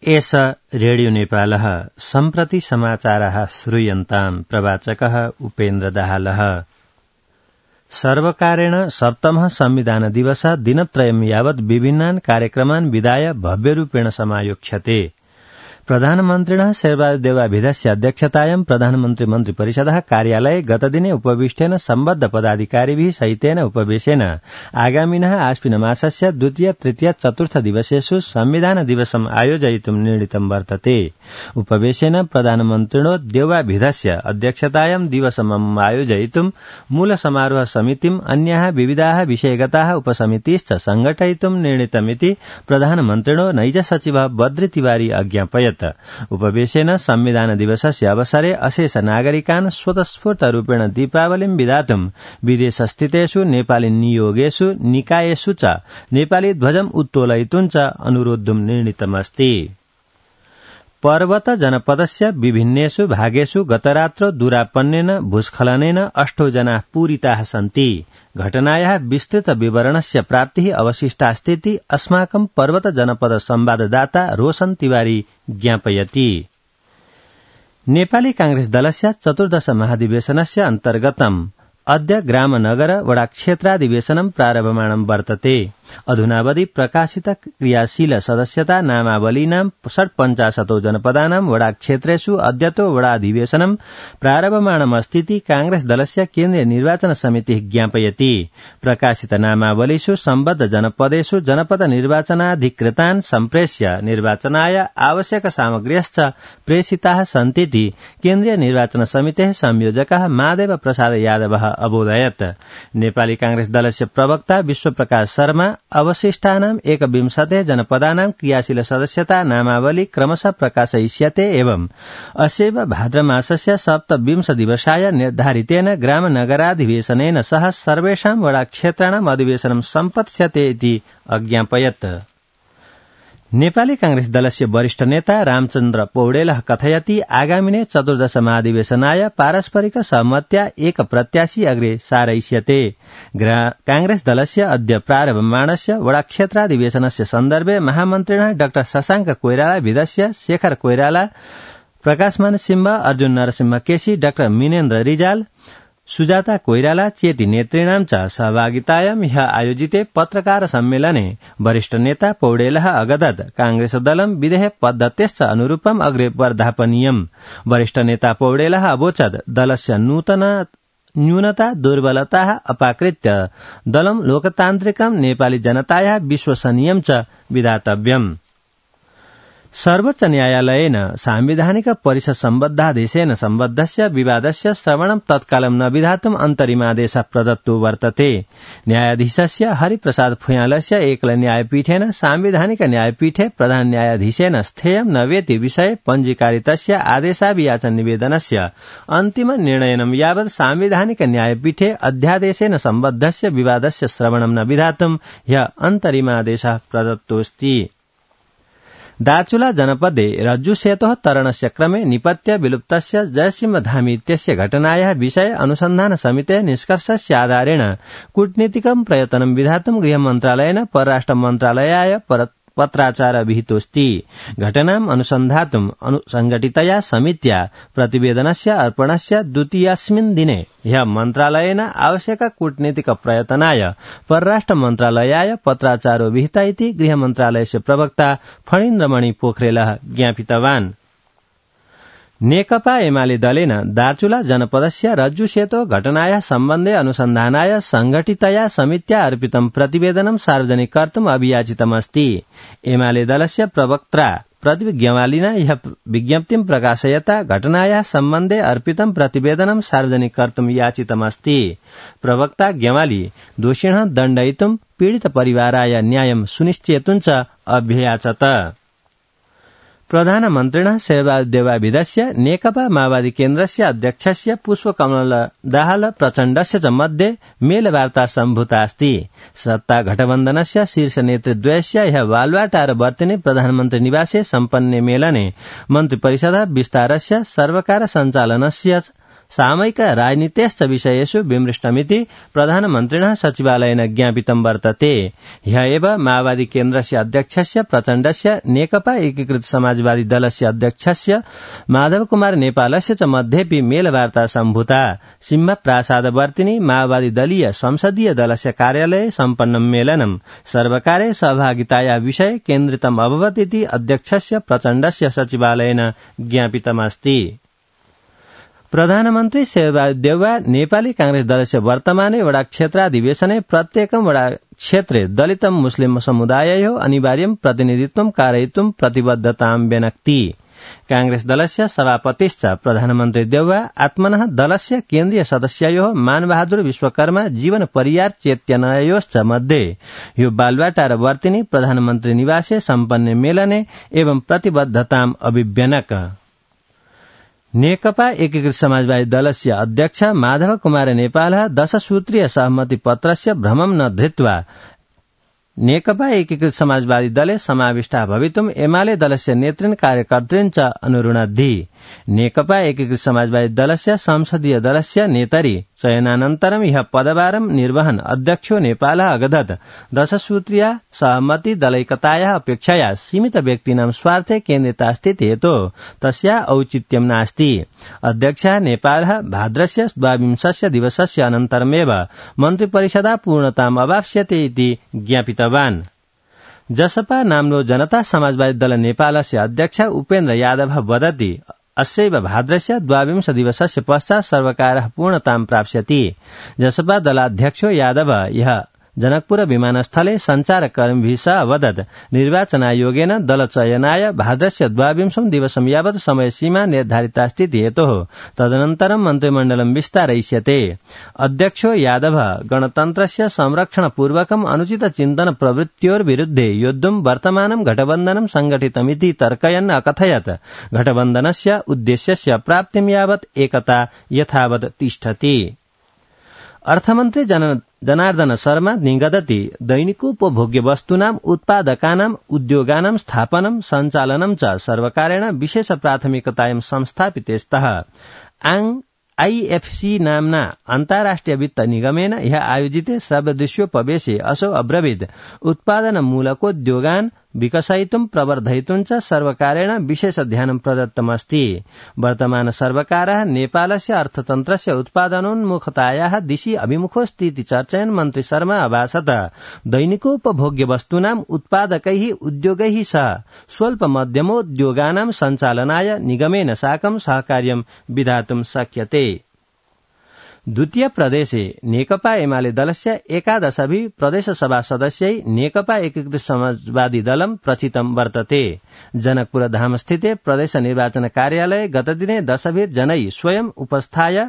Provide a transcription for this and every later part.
एष रेडियो नेपालः सम्प्रति समाचारः श्रूयन्ताम् प्रवाचकः उपेन्द्र दाहालः। सर्वकारेण सप्तमः संविधान दिवसः दिनत्रयं यावत् विभिन्नान् कार्यक्रमान् विधाय भव्यरूपेण समायोक्ष्यते। प्रधानमन्त्रिणः शेरबहादुर देउवाभिधस्य अध्यक्षतायां प्रधानमन्त्री मन्त्रिपरिषदः कार्यालये गतदिने उपविष्टेन सम्बद्ध पदाधिकारिभिः सहितेन उपवेशेन आगामिनः आश्विन मासस्य द्वितीय तृतीय चतुर्थ दिवसेषु संविधान दिवसम् आयोजयितुं निर्णीतं वर्तते। उपवेशेन प्रधानमन्त्रिणो देउवाभिधस्य अध्यक्षतायां दिवसम् आयोजयितुं मूल समारोह समितिम् अन्याः विविधाः विषयगताः उपसमितिश्च संघटयितुं निर्णीतमिति प्रधानमन्त्रिणो नैज सचिवः बद्री तिवारी अज्ञापयत्। उपवेशेन संविधान दिवसस्य अवसरे अशेष नागरिकान् स्वतस्फूर्तरूपेण दीपावलिं विधातुं विदेशस्थितेषु नेपाली नियोगेषु निकायेषु च नेपाली ध्वजम् उत्तोलयितुं च अनुरोद्धुं निर्णीतमस्ति। पर्वत जनपदस्य विभिन्नेषु भागेषु गतरात्रौ दूरापन्नेन भूस्खलनेन 8 जनाः पूरिताः सन्ति। घटनायाः विस्तृत विवरणस्य प्राप्तिः अवशिष्टास्तीति अस्माकं पर्वत जनपद संवाददाता रोशन तिवारी ज्ञापयति। नेपाली कांग्रेस दलस्य 14 महाधिवेशनस्य अन्तर्गतम् अद्य ग्राम नगर वडा क्षेत्राधिवेशनं प्रारभमाणं वर्तते। अधुनावधि प्रकाशित क्रियाशील सदस्यता नामावलीनां 55 जनपदानां वडा क्षेत्रेषु अद्यतो वडाधिवेशनं प्रारभमाणमस्तीति कांग्रेस दलस्य केन्द्रीय निर्वाचन समितिः ज्ञापयति। प्रकाशित नामावलीषु सम्बद्ध जनपदेषु जनपद निर्वाचनाधिकृतान् सम्प्रेष्य निर्वाचनाय आवश्यक सामग्र्यश्च प्रेषिताः सन्तीति केन्द्रीय निर्वाचन समितेः संयोजकः माधव प्रसाद यादवः अबोधयत्। नेपाली कांग्रेस दलस्य प्रवक्ता विश्वप्रकाश शर्मा अवशिष्टानां 21 जनपदानां क्रियाशील सदस्यता नामावली क्रमशः प्रकाशयिष्यते एवं अस्यैव भाद्रमासस्य 27 दिवसाय निर्धारितेन ग्राम नगराधिवेशनेन सह सर्वेषां वडा क्षेत्राणाम् अधिवेशनं सम्पत्स्यते इति अज्ञापयत्। नेपाली कांग्रेस दलस्य वरिष्ठ नेता रामचन्द्र पौडेलः कथयति आगामिने 14 महाधिवेशनाय पारस्परिक सहमत्या एक प्रत्याशी अग्रे सारयिष्यते। कांग्रेस दलस्य अद्य प्रारभमाणस्य वडा क्षेत्राधिवेशनस्य सन्दर्भे महामन्त्रिणः doctor Shashank Koirala विधस्य Shekhar Koirala Prakashman Singh Arjuna Narasimha KC doctor Minendra Rijal Sujata Koirala चेति नेतॄणां च सहभागितायां ह्यः आयोजिते पत्रकार सम्मेलने वरिष्ठ नेता पौडेलः अगदत् कांग्रेस दलं विधेः पद्धतेश्च अनुरूपम् अग्रे वर्धापनीयम्। वरिष्ठ नेता पौडेलः अवोचत् दलस्य न्यूनता दुर्बलताः अपाकृत्य दलं लोकतान्त्रिकं नेपाली जनतायाः विश्वसनीयं च विधातव्यम्। सर्वोच्च न्यायालयेन सांविधानिक परिषद सम्बद्धादेशेन सम्बद्धस्य विवादस्य श्रवणं तत्कालं न विधातुम् अन्तरिमादेशः प्रदत्तो वर्तते। न्यायाधीशस्य हरिप्रसाद फुयालस्य एकल न्यायपीठेन सांविधानिक न्यायपीठे प्रधान न्यायाधीशेन स्थेयं न वेति विषये पञ्जीकारितस्य आदेशाभियाचन निवेदनस्य अन्तिम निर्णयनं यावत् सांविधानिक न्यायपीठे अध्यादेशेन सम्बद्धस्य विवादस्य श्रवणं न विधातुम् ह्यः अन्तरिमादेशः प्रदत्तोऽस्ति। दार्चुला जनपदे रज्जुसेतोः तरणस्य क्रमे निपत्य विलुप्तस्य जयसिंह धामी इत्यस्य घटनायाः विषये अनुसन्धान समितेः निष्कर्षस्य आधारेण कूटनीतिकं प्रयत्नं विधातुं गृहमन्त्रालयेन परराष्ट्र मन्त्रालयाय पत्राचार विहितोऽस्ति। घटनाम् अनुसन्धातुं संघटितया समित्या प्रतिवेदनस्य अर्पणस्य द्वितीयस्मिन् दिने ह्यः मन्त्रालयेन आवश्यक कूटनीतिक प्रयत्नाय परराष्ट्र मन्त्रालयाय पत्राचारो विहिता इति गृहमन्त्रालयस्य प्रवक्ता फणीन्द्रमणि पोखरेलः ज्ञापितवान्। नेकपा एमाले दलेन दार्चुला जनपदस्य रज्जुसेतो घटनायाः सम्बन्धे अनुसन्धानाय संघटितया समित्या अर्पितं प्रतिवेदनं सार्वजनिक कर्तुम् अभियाचितमस्ति। एमाले दलस्य प्रवक्त्रा प्रदीप ग्यवालिना यह विज्ञप्तिं प्रकाशयता घटनायाः सम्बन्धे अर्पितं प्रतिवेदनं सार्वजनिक कर्तुम् याचितमस्ति। प्रवक्ता ग्यवाली दोषिणः दण्डयितुं पीडित परिवाराय न्यायं सुनिश्चेतुं च अभ्ययाचत। प्रधानमन्त्रिणः शेरबहादुर देउवाभिधस्य नेकपा माओवादी केन्द्रस्य अध्यक्षस्य पुष्पकमल दाहाल प्रचण्डस्य च मध्ये मेलवार्ता सम्भूता अस्ति। सत्ता गठबन्धनस्य शीर्ष नेतृद्वयस्य ह्यः बालुवाटार वर्तिने प्रधानमन्त्री निवासे सम्पन्ने मेलने मन्त्रिपरिषदः विस्तारस्य सर्वकार सञ्चालनस्य सामयिक राजनीतेश्च विषयेषु विमृष्टमिति प्रधानमन्त्रिणः सचिवालयेन ज्ञापितं वर्तते। ह्य एव माओवादी केन्द्रस्य अध्यक्षस्य प्रचण्डस्य नेकपा एकीकृत समाजवादी दलस्य अध्यक्षस्य माधव कुमार नेपालस्य च मध्येपि मेलवार्ता सम्भूता। सिंह प्रासादवर्तिनी माओवादी दलीय संसदीय दलस्य कार्यालये सम्पन्नं मेलनं सर्वकारे सहभागिताया विषये केन्द्रितम् अभवत् इति अध्यक्षस्य प्रचण्डस्य सचिवालयेन ज्ञापितमस्ति। प्रधानमन्त्री शेरबहादुर देउवा नेपाली कांग्रेस दलस्य वर्तमाने वडा क्षेत्राधिवेशने प्रत्येकं वडा क्षेत्रे दलितं मुस्लिम समुदाययोः अनिवार्यं प्रतिनिधित्वं कारयितुं प्रतिबद्धतां व्यनक्ति। कांग्रेस दलस्य सभापतिश्च प्रधानमन्त्री देउवा आत्मनः दलस्य केन्द्रीय सदस्ययोः मानबहादुर विश्वकर्मा जीवन परियार चेत्यनयोश्च मध्ये ह्यो बालुवाटार वर्तिनी प्रधानमन्त्री निवासे सम्पन्ने मेलने एवं प्रतिबद्धताम् अभिव्यनक। नेकपा एकीकृत समाजवादी दलस्य अध्यक्ष माधव कुमार नेपालः 10 सूत्रीय सहमति पत्रस्य भ्रमं न धृत्वा नेकपा एकीकृत समाजवादी दले समाविष्टा भवितुम् एमाले दलस्य नेतृन् कार्यकर्तृन् च अनुरुणद्धि। नेकपा एकीकृत समाजवादी दलस्य संसदीय दलस्य नेतरि चयनानन्तरं ह्यः पदभारं निर्वहन् अध्यक्षो नेपालः अगदत् 10 सूत्रीया सहमति दलैकतायाः अपेक्षया सीमित व्यक्तीनां स्वार्थे केन्द्रिता स्थिति हेतोः तस्या औचित्यं नास्ति। अध्यक्षः नेपालः भाद्रस्य 22 दिवसस्य अनन्तरमेव मन्त्रिपरिषदा पूर्णताम् अवाप्स्यते इति ज्ञापितवान्। जसपा नाम्नो जनता समाजवादी दल नेपालस्य अध्यक्ष उपेन्द्र यादव वदति अस्यैव भाद्रस्य 22 दिवसस्य पश्चात् सर्वकारः पूर्णतां प्राप्स्यति। जसपा दलाध्यक्षो यादव यः जनकपुर विमानस्थले सञ्चारकर्मीभिः सह अवदत् निर्वाचनायोगेन दलचयनाय भाद्रस्य 22 दिवसं यावत् समयसीमा निर्धारिता स्थिति हेतोः तदनन्तरं मन्त्रिमण्डलं विस्तारयिष्यते। अध्यक्षो यादव गणतन्त्रस्य संरक्षणपूर्वकम् अनुचित चिन्तन प्रवृत्त्योर्विरुद्धे योद्धुं वर्तमानं घटबन्धनं संगठितमिति तर्कयन् अकथयत् घटबन्धनस्य उद्देश्यस्य प्राप्तिं यावत् एकता यथावत् तिष्ठति। अर्थमन्त्री जनार्दन शर्मा निगदति दैनिकोपभोग्य वस्तूनाम् उत्पादकानाम् उद्योगानां स्थापनं सञ्चालनं च सर्वकारेण विशेष प्राथमिकतायां संस्थापिते स्तः। IFC नाम्ना अन्ताराष्ट्रिय वित्त निगमेन ह्यः आयोजिते श्रव्यदृश्योपवेशे असौ अब्रवीत् उत्पादनमूलकोद्योगान् विकसयितुं प्रवर्धयितुं च सर्वकारेण विशेष ध्यानं प्रदत्तमस्ति। वर्तमान सर्वकारः नेपालस्य अर्थतन्त्रस्य उत्पादनोन्मुखतायाः दिशि अभिमुखोऽस्ति इति चर्चयन् मन्त्री शर्मा अभासत दैनिकोपभोग्य वस्तूनाम् उत्पादकैः उद्योगैः सह स्वल्प मध्यमोद्योगानां सञ्चालनाय निगमेन साकं सहकार्यं विधातुं शक्यते। द्वितीय प्रदेशे नेकपा एमाले दलस्य 11 प्रदेशसभा सदस्यै नेकपा एकीकृत समाजवादी दलं प्रचितं वर्तते। जनकपुर धामस्थिते प्रदेश निर्वाचन कार्यालये गतदिने 10 जनै स्वयं उपस्थाय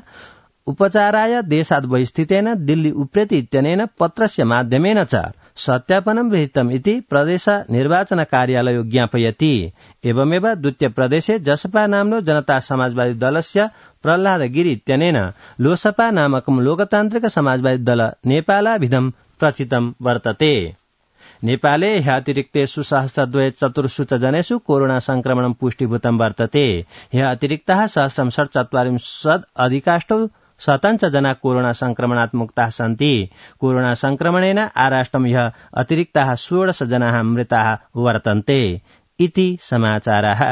उपचाराय देशाद् बहिस्थितेन दिल्ली उप्रेति इत्यनेन पत्रस्य माध्यमेन च सत्यापनं विहितम् इति प्रदेश निर्वाचन कार्यालयो ज्ञापयति। एवमेव द्वितीय प्रदेशे जसपा नाम्नो जनता समाजवादी दलस्य प्रह्लाद गिरि इत्यनेन लोसपा नामकं लोकतान्त्रिक समाजवादी दल नेपालाभिधं प्रचितं वर्तते। नेपाले ह्यतिरिक्तेषु 1,204 जनेषु कोरोना संक्रमणं पुष्टिभूतं वर्तते। ह्यतिरिक्ताः 1,047 अधिकाष्टौ शतञ्च जना कोरोना संक्रमणात् मुक्ताः सन्ति। कोरोना संक्रमणेन आराष्ट्रं ह्यः अतिरिक्ताः 16 जनाः मृताः वर्तन्ते इति समाचाराः।